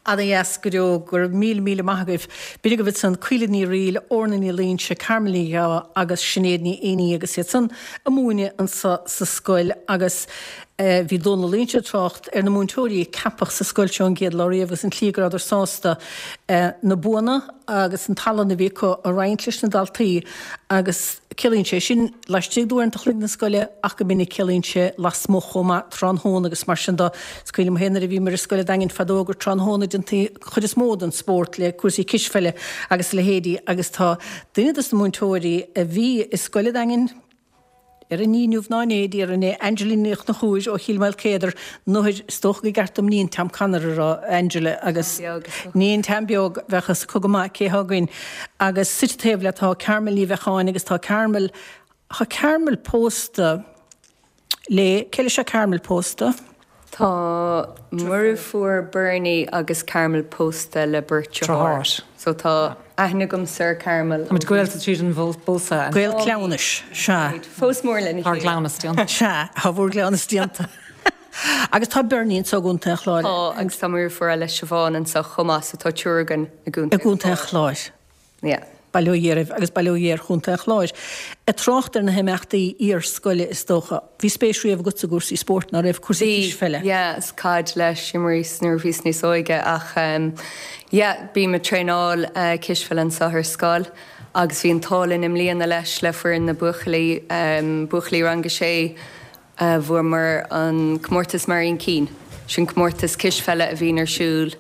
Ana-dheas go deo, go raibh míle míle maith agaibh. B'in agaibh ansan Caoile Ní Fhrighil, Orna Ní Loingsigh, Carmel Ní Dheá agus Sinéad Ní Éanaí agus iad san ag múineadh anso sa scoil agus bhí Dónal Ó Loingsigh ag trácht ar na múinteoirí a ceapadh sa scoil seo an gcéad lá riamh agus an tslí go rabhadar sásta na buanna agus an tallann a bhí acu a roinnt leis na daltaí agus ciallaíonn sé sin laistigh d'uaireanta chloig na scoile ach go minic ciallaíonn sé lasmuigh chomh maith, tráthnóna agus mar sin de. Is cuimhin liom féin nuair a bhíomar i scoil an Daingin fadó gur tráthnóna a déantaí an chuid is mó den spórt le cúrsaí cispheile agus a leithéidí agus tá duine dos na múinteoirí a bhí i scoil an Daingin, Ar ní inniu ná inné, déarfainn é, Angela Ní Chonchúir ó Chill Maoilchéadair, nuair, is dócha gur ceart dom Níon Tom Connor a rá, Angela, agus Níon Tom Beag, bheadh fhios acu go maith cé thá againn. Agus suite taobh leat tá Carmel Ní Bheacháin agus tá Carmel, tá Carmel pósta le, cé leis tá Carmel pósta? Tá muirfiúr Bernie agus Carmel pósta le beirt deartháir. So tá aithne agamsa ar Carmel. Táimid gaolta tríd an bpósadh. Gaol cleamhnais, sea. Fós mór lena chéile. Tá ár gcleamhnas déanta. Sea, tá bhur gcleamhnas déanta. Agus tá Bernie anseo i gContae an Chláir. Tá, agus tá muirfiúr eile Siobhán anseo chomh maith, so tá triúr againn i gContae an Chláir. I gContae an Chláir. Yeah. Bail ó Dhia oraibh agus bail ó Dhia ar Chontae an Chláir. Ag trácht ar na himeachtaí iar-scoile is dócha. Bhí spéis riamh agatsa i gcúrsaí spóirt, ná raibh? Cúrsaí Bhí, cispheile? yeah, is caid leis, d'imríos nuair a bhíos níos óige ach ehm yeah, bím ag traenáil cispheile anseo ar scoil agus bhí an t-ádh linn i mbliana leis le foireann na buachaillí, ehm buachaillí rang a sé, Bhuamar an comórtas Marion Keane, sin comórtas cispheile a bhíonn ar siúl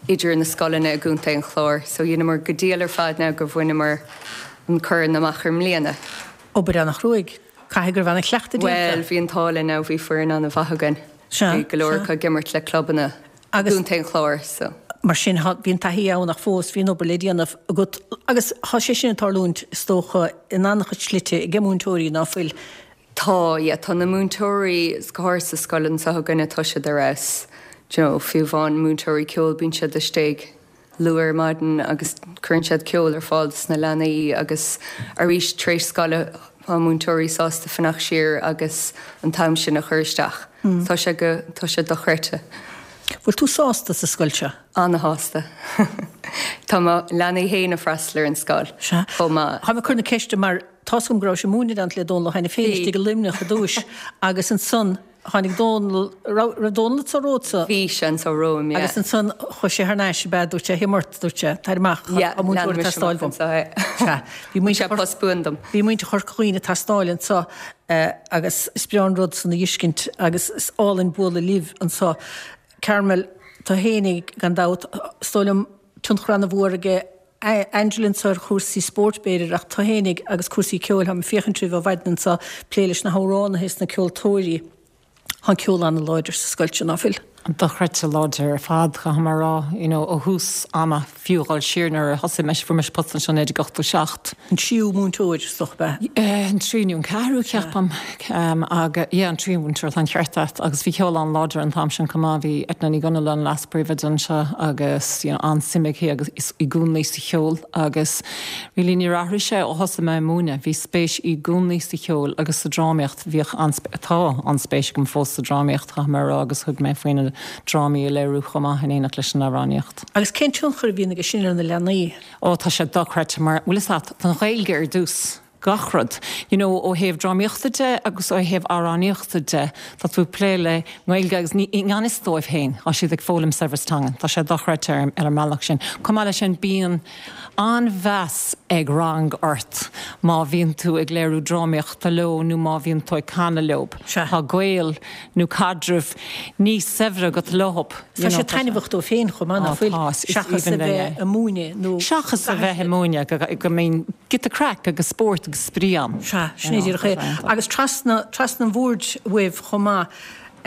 idir na scoileanna i gContae an Chláir. So dheineamar go diail ar fad now gur bhaineamar an corn amach i mbliana. Obair ana-chruaidh. Caithfidh go raibh ana-chleachtadh déanta. Bhuel, bhí an t-ádh linn now, bhí foireann ana-mhaith againn. Sea, Bhí go leor sea. acu ag imirt le clubanna i Agus. gContae an Chláir so. Mar sin, bhí an taithí ann ach fós bhí an obair le déanamh agat agus tá sé sin ag tarlúint, is dócha, in an-chuid slite ag múinteoirí, ná fuil? Tá, yeah, tá na múinteoirí, go háirithe sa scoil anseo againne, tá siad ar fheabhas. Do you know, fiú amháin múinteoirí ceoil, bíonn siad istigh luath ar maidin agus cuireann siad ceol ar fáil dos na leanaí agus arís tar éis scoile tá múinteoirí sásta fanacht siar agus an t-am sin a chur isteach. Tá sé go, tá sé dochreidte. Bhfuil tú sásta sa scoil seo? Ana-shásta. Tá mo leanaí féin ag freastal ar an scoil chomh maith. Táim ag cur na ceiste mar tá's agam go raibh sibh ag múineadh in éineacht le Dónal Ó hAiniféin istigh i Luimneach i dtúis agus ansan tháinig Dónal, raibh, raibh Dónal anso romhatsa? Bhí sé anso romham, yeah. Agus ansan chuaigh sé thar n-ais, ab ea, dúirt sé, Thiom ort, dúirt sé, tar amach, Yeah, tá múinteoir lean ag mise teastáil amach uaim. anso é. Sea, bhí Bhí muintir sé post buan dom. Bhí muintir Chorca Dhuibhne ag teastáil anso agus is breá an rud san a fheiscint agus is álainn bualadh libh anso. Carmel, tú fhéinig, gan dabht, is dóigh liom tionchar ana-mhór aige Angela anso ar chúrsaí spóirt b'fhéidir ach tú fhéinig agus cúrsaí ceoil, táim ag féachaint oraibh ó mhaidin anso, plé leis na hamhránaithe is na ceoltóirí. Tá an ceol ana-láidir sa scoil seo, ná fuil? Dochreidte láidir ar fad, caithfidh mé a rá. You know, ó thús ama, fiú dhul siar nuair a thosaigh mise, fuair mise post anseo in 1987. An tríú múinteoir, is dócha, ab ea? An tríú nó an ceathrú, ceapaim. Agus, yeah, an tríú múinteoir, tá an ceart agat. Agus bhí ceol an-láidir an t-am sin chomh maith. Bhí Eithne Ní Dhonnaile an leas-phríomhoide anseo agus, you know, an-suim aici agus i gcónaí sa cheol agus really níor athraigh sé ó thosaigh mé ag múineadh. Bhí spéis i gcónaí sa cheol agus sa drámaíocht. Bhíodh an-spéis, tá an-spéis agam fós sa drámaíocht, caithfidh mé a rá, agus thug mé faoi na drámaí a léiriú chomh maith in éineacht leis an amhránaíocht. Agus cén tionchar a bhíonn aige sin ar na leanaí? Ó, tá sé dochreidte mar, bhfuil fhios a't, an Ghaeilge ar dtús, gach rud. You know, ó thaobh drámaíochta de agus ó thaobh amhránaíochta de, tá tú ag plé le nGaeilge agus ní, i ngan fhios dóibh féin, tá siad ag foghlaim saibhreas teangan. Tá sé dochreidte ar, ar an mbealach sin. Chomh maith leis sin, bíonn an-mheas ag rang ort má bhíonn tú ag léiriú drámaíochta leo nó má bhíonn tú ag canadh leo. Tá gaol nó caidreamh níos saibhre agat leo. Tá sé taitneamhach dóibh féin chomh maith, nach bhfuil? Seachas a bheith ag múineadh nó. Seachas a bheith ag múineadh, go mbíonn giota craic agus spórt agus spraoi ann. Sea, sin é díreach é. Agus trasna, trasna an bhoird uaibh chomh maith.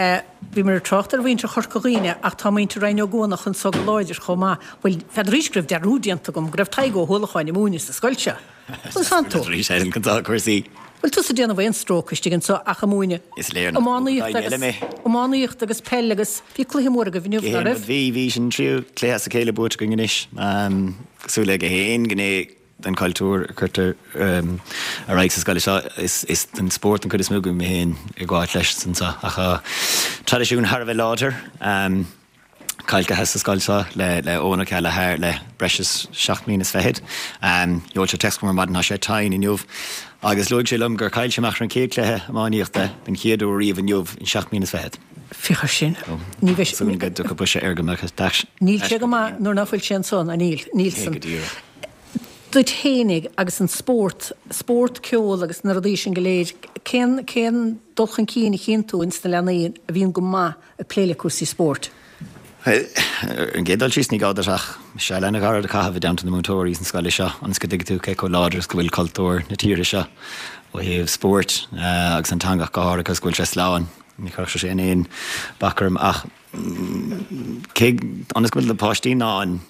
Bhíomar ag trácht ar mhuintir Chorca Dhuibhne ach tá muintir Rinn Ó gCuanach anso go láidir chomh maith. Bhuel, n'fheadaraís go raibh dearúd déanta agam go raibh Tadhg Ó hUallacháin ag múineadh sa scoil seo. Conas tánn tú? Arís Helen, conas tá cúrsaí? Bhfuil tusa ag déanamh aon stróic istigh anso ach ag múineadh Is léir nach iománaíocht daoine eile agus mé. iománaíocht agus peil agus bhí cluiche mór agaibh inniu, Gach ná aon rud. raibh? Bhí, bhí, sin an tríú cluiche as a chéile buaite againn anois. Cosúil le gach aon ghné den chultúr a chuirtear ar aghaidh sa scoil seo. Is den spórt an chuid is mó go mbím féin ag gabháilt leis anseo ach tá traidisiún thar a bheith láidir calcaithe sa scoil seo le Eoin Ó Ceallaigh thar le breis is 7 mbliana is fichead. Sheol sé téacs chugam ar maidin, tá sé tinn inniu agus luaigh sé liom gur chaill sé amach ar an chéad chluiche iománaíochta den chéad uair riamh inniu in 7 mbliana is fichead. Féach air sin. Ní bheidh sé. Súil go dtiocfaidh briseadh air go mbeadh Níl sé go maith nuair ná fuil sé ansan, a níl? Níl san. Go díreach. Duit fhéinig agus an spórt, spórt, ceol agus na rudaí sin go léir, cén, cén dul chun cinn a chíonn tú ins na leanaí a bhíonn go maith ag plé le cúrsaí spóirt? Ar an gcéad dul síos, ní gá duit ach seal an-ghairid a chaitheamh i dteannta na múinteoirí san scoil seo ionas go dtuigfidh tú cé chomh láidir is go bhfuil cultúr na tíre seo ó thaobh spóirt agus an teanga ach go háirithe agus go bhfuil sé slán. Ní chuirfeadh sé sin aon bac orm ach cé, ionas go bhfuil na páistí in ann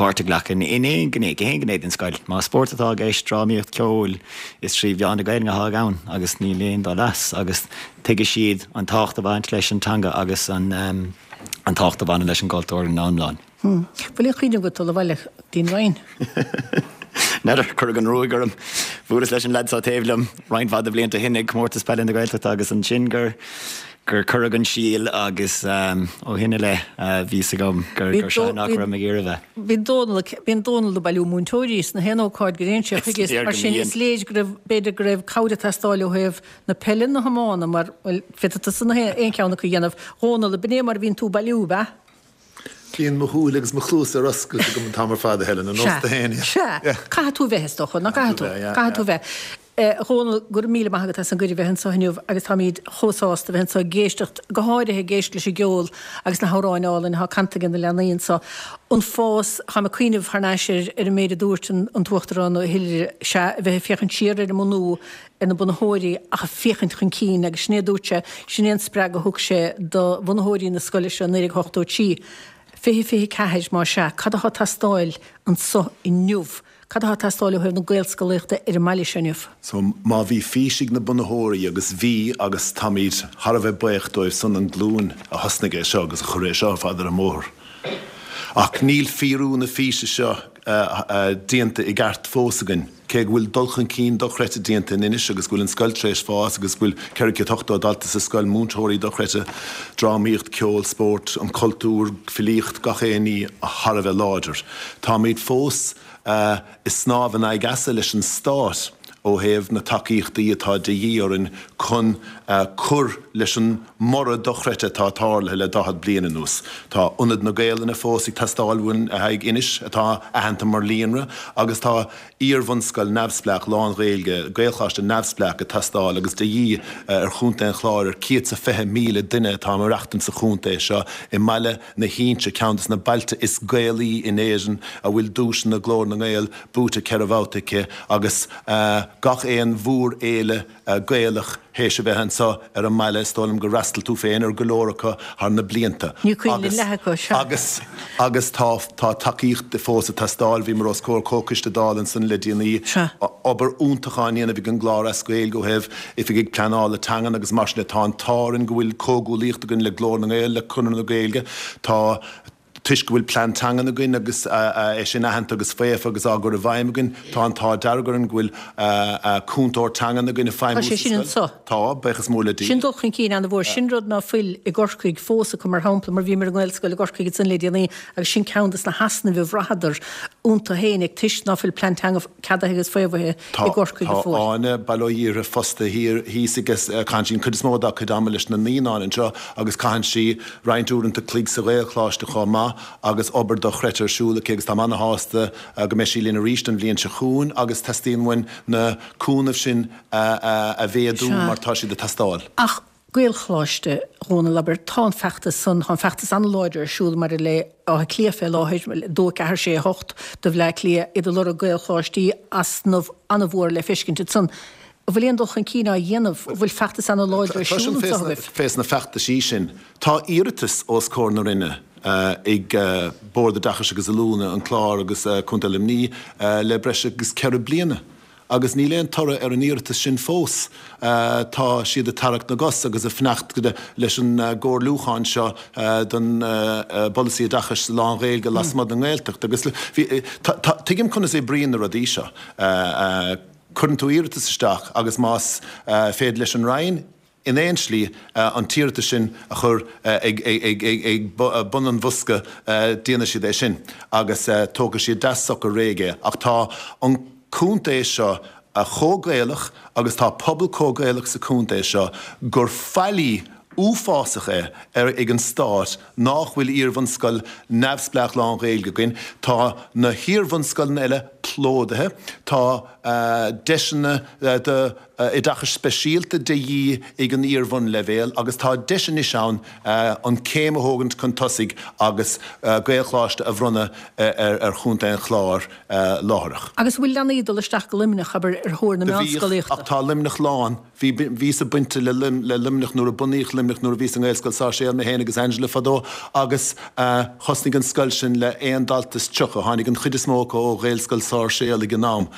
páirt a ghlacadh in aon ghné, gach aon ghné den scoil. Más spórt atá i gceist, drámaíocht, ceol, is trí mheán na Gaelainne atá ann agus níl aon dul as agus tuigfidh siad an tábhacht a bhaint leis an teanga agus an tábhacht a bhaineann leis an gcultúr ina iomlán. Bhfuil aon chuimhne agat dul abhaile dtí'n Rinn? N'fheadar, cuireadh an ruaig orm. Bhuaileas leis an leaid seo taobh liom roinnt mhaith de bhlianta ó shin ag Comórtas Peile na Gaeltachta agus ansin gur gur cuireadh an síol agus ó shin i leith bhí fhios agam gur gur seo nach raibh mé ag iarraidh a bheith. Bhí Dónal, bíonn Dónal ag bailiú múinteoirí sna haon ócáid go dtéann sé chuige is mar sin is léir go raibh, b'fhéidir go raibh cabhair ag teastáil ó thaobh na peile na hiomána mar, bhuel, féadfaidh tusa na haon cheann acu a dhéanamh. Dhónal, ab in é mar a bhíonn tú ag bailiú, ab ea? Bíonn mo shúile agus mo chluasa ar oscailt agam an t-am ar fad, a Helen, ar nós tú féin. Sea, caithfidh tú a bheith, is dócha, nach gcaithfidh tú? Caithfidh tú a bheith. A Dhónaill, go raibh míle maith agat as an gcuireadh a bheith anseo inniu agus táimid chomh sásta a bheith anseo ag éisteacht, go háirithe ag éisteacht leis an gceol agus na hamhráin álainn atá canta ag na leanaí anseo. An fás, táim ag cuimhneamh thar n-ais ar ar an méid a dúirt an an tUachtarán Ó hIlire, sea, a bheith ag féachaint siar ar an mbunú, ar na bunaitheoirí ach ag féachaint chun cinn agus sin é a dúirt sé, sin é an spreagadh a thug sé do bhunaitheoirí na scoile seo i 1983. 2024, más ea, cad atá ag teastáil anso inniu? Cad atá ag teastáil ó thaobh na Gaelscolaíochta ar an mbaile seo inniu? So, má bhí fís ag na bunaitheoirí, agus bhí, agus táimid thar a bheith buíoch dóibh san, an glúin a thosnaigh é seo agus a chuir é seo ar fad ar an mbóthar. Ach níl fíorú na físe seo déanta i gceart fós againn, cé go bhfuil dul chun cinn dochreidte déanta in Inis agus go bhfuil an scoil tar éis fás agus go bhfuil 480 dalta sa scoil, múinteoirí dochreidte, drámaíocht, ceol, spórt, an cultúr, filíocht, gach aon ní thar a bheith láidir. Táimid fós ag snámh in aghaidh easa leis an stát ó thaobh na tacaíochtaí atá de dhíth orainn chun cur leis an mborradh dochreidte atá tarlaithe le 40 bliain anuas. Tá Ionad na Gaelainne fós ag teastáil uainn le haghaidh Inis, atá aitheanta mar líonra, agus tá iar-bhunscoil neamhspleách lán-Ghaeilge, Gaelcholáiste neamhspleách ag teastáil agus de dhíth ar Chontae an Chláir ar 120,000 duine atá ag maireachtaint sa chontae seo i mBaile na hInse, ceann de na bailte is Gaelaí in Éirinn, a bhfuil duaiseanna Glór na nGael buaite 4 bhabhta aici agus gach aon mhórfhéile Gaelach théis a bheith anseo ar an mbaile, is dóigh liom gur fhreastail tú féin ar go leor acu thar na blianta. Ní cuimhin liom leath acu, sea. Agus, agus tá, tá tacaíocht fós ag teastáil. Bhíomar os comhair comhchoiste Dála ansan le déanaí. Sea. Obair iontach á ndéanamh ag an gClár as Gaeilge ó thaobh oifigigh pleanála teangan agus mar sin de. Tá an t-ádh orainn go bhfuil comhghuaillíocht againn le Glór na nGael, le Conradh na Gaeilge. Tá, toisc go bhfuil plean teangan againn agus é sin aitheanta agus faofa agus á gcur i bhfeidhm againn, tá an t-ádh dearg orainn go bhfuil cúntóir teangan againn ag feidhmiú sa scoil. Tá sé sin anso. Tá, buíochas mór le Dia. Sin dul chun cinn an-mhór. Sin rud ná fuil i gCorcaigh fós acu, mar shampla, mar bhíomar i nGaelscoil i gCorcaigh ansan le déanaí agus sin ceann des na heasnaimh a bhraitheadar iontu féinig toisc ná fuil plean teanga ceadaithe agus faomhaithe i gCorcaigh go fóill. Tá Áine, Baile Ó Dhíortha fostaithe thiar thíos agus caitheann sí an chuid is mó dá cuid ama leis na naíonáin anseo agus caitheann sí roinnt uaireanta cloig sa Ghaelcholáiste chomh maith agus obair dochreidte ar siúl aici agus táim ana-shásta go mbeidh sí linn arís an bhliain seo chugainn agus teastaíonn uainn na cúnaimh sin a mhéadú mar tá siad ag teastáil. Ach Gaelcholáiste, a Dhónaill, abair, tá an feachtas san, tá an feachtas an-láidir ar siúl maidir le Áth Cliath fé láthair, 2, 4, 6, 8 do Bhleá Cliath, iad ag lorg Gaelcholáistí, easnamh an-mhór le feiscint ansan. An bhfuil aon dul chun cinn á dhéanamh? An bhfuil feachtas an-láidir ar siúl anso agaibh? Fés na feachtaisí sin, tá iarratas os comhair na Roinne ag Bord Oideachais agus Oiliúna, an Clár agus Contae Luimnigh le breis agus 4 bliana. Agus níl aon toradh ar an iarratas sin fós. Tá siad ag tarrac na gcos agus ag fanacht leis an gcomhairliúchán seo don bpolasaí oideachais lán-Ghaeilge lasmuigh den nGaeltacht. Agus tuigim conas a oibríonn na rudaí seo. Cuireann tú iarratas isteach agus más féidir leis an Roinn, in aon slí, an t-iarratas sin a chur ag bun an bhosca, déanfaidh siad é sin agus tógfaidh siad deas socair réidh é. Ach tá an contae seo chomh Gaelach agus tá pobal chomh Gaelach sa chontae seo gur faillí uafásach é ag an stát nách bhfuil iarbhunscoil neamhspleách lán-Ghaeilge againn. Tá na hiarbhunscoileanna eile plódaithe. Tá deiseanna do. oideachais speisialta de dhíth ag an iar-bhunleibhéal agus tá deis anois ann an céim a thógaint chun tosaigh agus Gaelcholáiste a bhronnadh ar Chontae an Chláir láithreach. Agus an bhfuil leanaí ag dul isteach go Luimneach, abair, ar thóir na Do bhíodh, meánscolaíochta? ach tá Luimneach lán. Bhí, bhíos-sa bainte le le Luimneach nuair a bunaíodh Luimneach nuair a bhíos i nGaelscoil Sáirséal mé féin agus Angela fadó agus thosnaigh an scoil sin le aon dalta is 30, tháinig an chuid is mó acu ó Ghaelscoil Sáirséal ag an am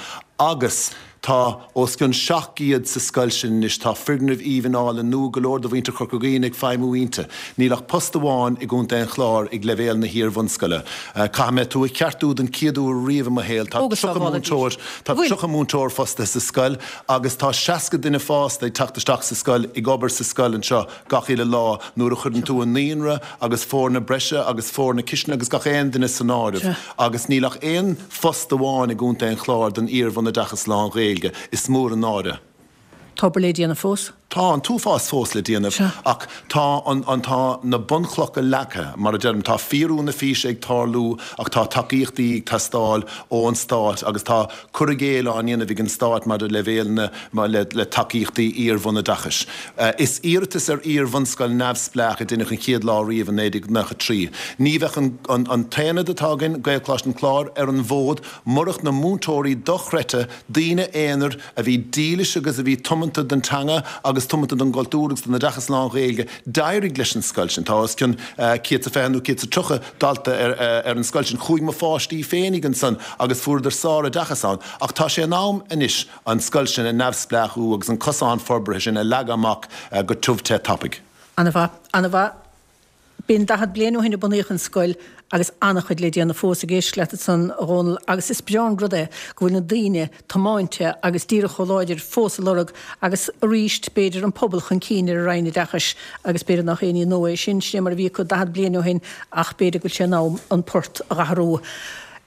agus Tá os cionn 700 sa scoil sin anois. Tá foirgneamh aoibhinn álainn nua, go leor de mhuintir Chorca Dhuibhne ag feidhmiú inti. Níl ach post amháin i gContae an Chláir ag leibhéal na hiar-bhunscoile. Caithfidh mé tú a cheartú den chéad uair riamh i mo shaol, tá 30 múinteoir, tá 30 múinteoir fostaithe sa scoil agus tá 60 duine fásta ag teacht isteach sa scoil, ag obair sa scoil anseo gach uile lá nuair a chuireann tú an naíonra agus foirne breise agus foirne cistine agus gach aon duine san áireamh agus níl ach aon phost amháin i gContae an Chláir don iar-bhunoideachas lán-Ghaeilge. Is mór an náire. Tá obair le déanamh fós. Tá an t-uafás fós le déanamh ach tá an, an, tá na bunchlocha leagtha, mar a deirim. Tá fíorú na físe ag tarlú ach tá tacaíochtaí ag teastáil ón Stát agus tá cur i gcéill á ndéanamh ag an Stát maidir le leibhéal na, le, le tacaíochtaí iar-bhunoideachais. Is iarratas ar iar-bhunscoil neamhspleách a deineadh an chéad lá riamh i 1993. Ní bheadh an, an t-aonad atá againn, Gaelcholáiste an Chláir, ar an bhfód murach na múinteoirí dochreidte, daoine aonair a bhí dílis agus a bhí tiomanta don teanga agus. agus tiomanta don gcultúr agus don oideachas lán-Ghaeilge. D'éirigh leis an scoil sin. Tá os cionn 120 nó 130 dalta ar an scoil sin. Chuaigh mo pháistí féinig ansan agus fuaireadar sár-oideachas ann. Ach tá sé in am anois an scoil sin a neamhspleáchú agus an cosán forbartha sin a leagadh amach go tiubh te tapaidh. Ana-mhaith. Ana-mhaith. B'in 40 bliain ó shin a bunaíodh an scoil agus an-chuid le déanamh fós ag éisteacht leat ansan, a Dhónaill, agus is breá an rud é go bhfuil na daoine tiomáinte agus díreach chomh láidir fós a lorg agus arís b'fhéidir an pobal chun cinn ar an Roinn Oideachais agus b'fhéidir nach aon ní nua é sin, sin é mar a bhí acu 40 bliain ó shin ach b'fhéidir go bhfuil sé in am an port a dh'athrú.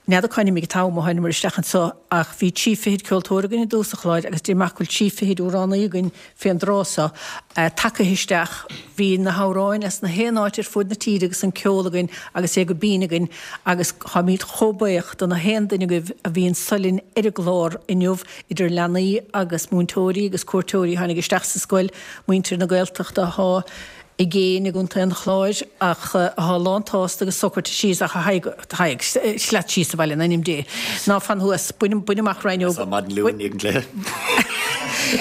N'fheadar cá n-imigh an t-am ó thánamar isteach anso ach bhí trí fichid ceoltóir againn i dtús an chláir agus déarfainn go bhfuil trí fichid amhránaí againn fén dtráth so, tagaithe isteach. Bhí na hamhráin as na haon áit ar fuaid na tíre agus an ceol againn agus é go binn againn agus táimíd chomh buíoch do na haon duine agaibh a bhí anso linn ar an gclár inniu, idir leanaí agus múinteoirí agus cuairteoirí a tháinig isteach sa scoil, muintir na Gaeltachta athá i gcéin i gContae an Chláir ach athá lán tsásta agus socraithe síos ach a Thaidhg, sleat síos abhaile in ainm Dé. Ná fan thuas. Bain, bain amach raighneog. Tá maidin Luain ag an gcluiche.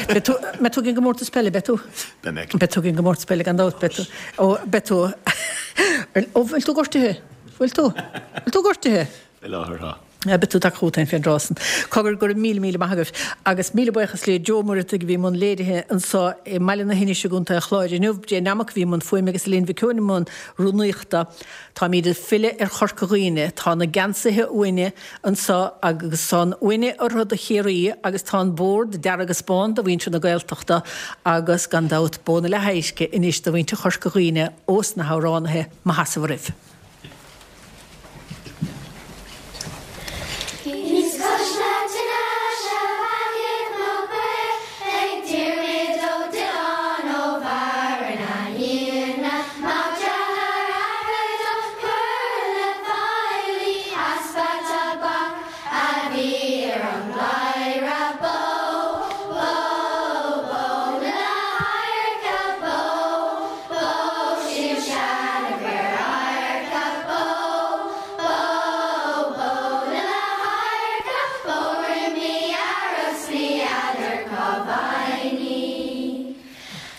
Beidh tú, mbeidh tú ag an gcomórtas peile, beidh tú? Beidh mé. Beidh tú ag an gcomórtas peile gan dabht, beidh tú. Ó, beidh tú. Ó, bhfuil tú gortaithe? Bhfuil tú? Bhfuil tú gortaithe? Faoi láthair, tá. Beidh tú tagtha chugat féin fén dtráth san. Cogar, go raibh míle míle maith agaibh. Agus míle buíochas le Joe Ó Muireadhaigh a bhí i mbun léirithe anso i mBaile na hInise i gContae an Chláir inniu, Jane Nammock a bhí i mbun fuaime agus Elaine Mhic Eoin i mbun rúnaíochta. Táimíd ag filleadh ar Chorca Dhuibhne. Tá na geansaithe uainne anso agus tá an uaine orthu do Chiarraí agus tá an bord dearg is bán do mhuintir na Gaeltachta agus gan dabht bó na leath-adhairce anois do mhuintir Chorca Dhuibhne ós na hamhránaithe. Mo sheasamh oraibh. Thíos cois na tine 'sea bheathaigh mo chaor ag Diarmuid Ó Diolláin ó Bharra na hIona, mac dearthár athar do cur le feighlí easpa tobac a bhí ar an gcladhaire bó, bó, bó na leath-adhairce bó, bó sin seana-fhear adharca bó, bó, bó na leath-adhairce bó roimh mí Earrach 's ní fheadar cá bhfaighinn í.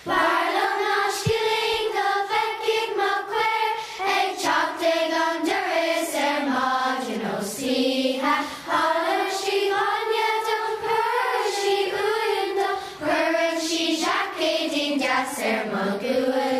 B'fhearr liom ná scilling go bhfeicfidh mo chaor ag teacht ag an doras ar maidin ó 's oíche. Chailleann sí bainne dom, cuireann sí uain dom, cuireann sí seaicéidín deas ar mo ghuaillí.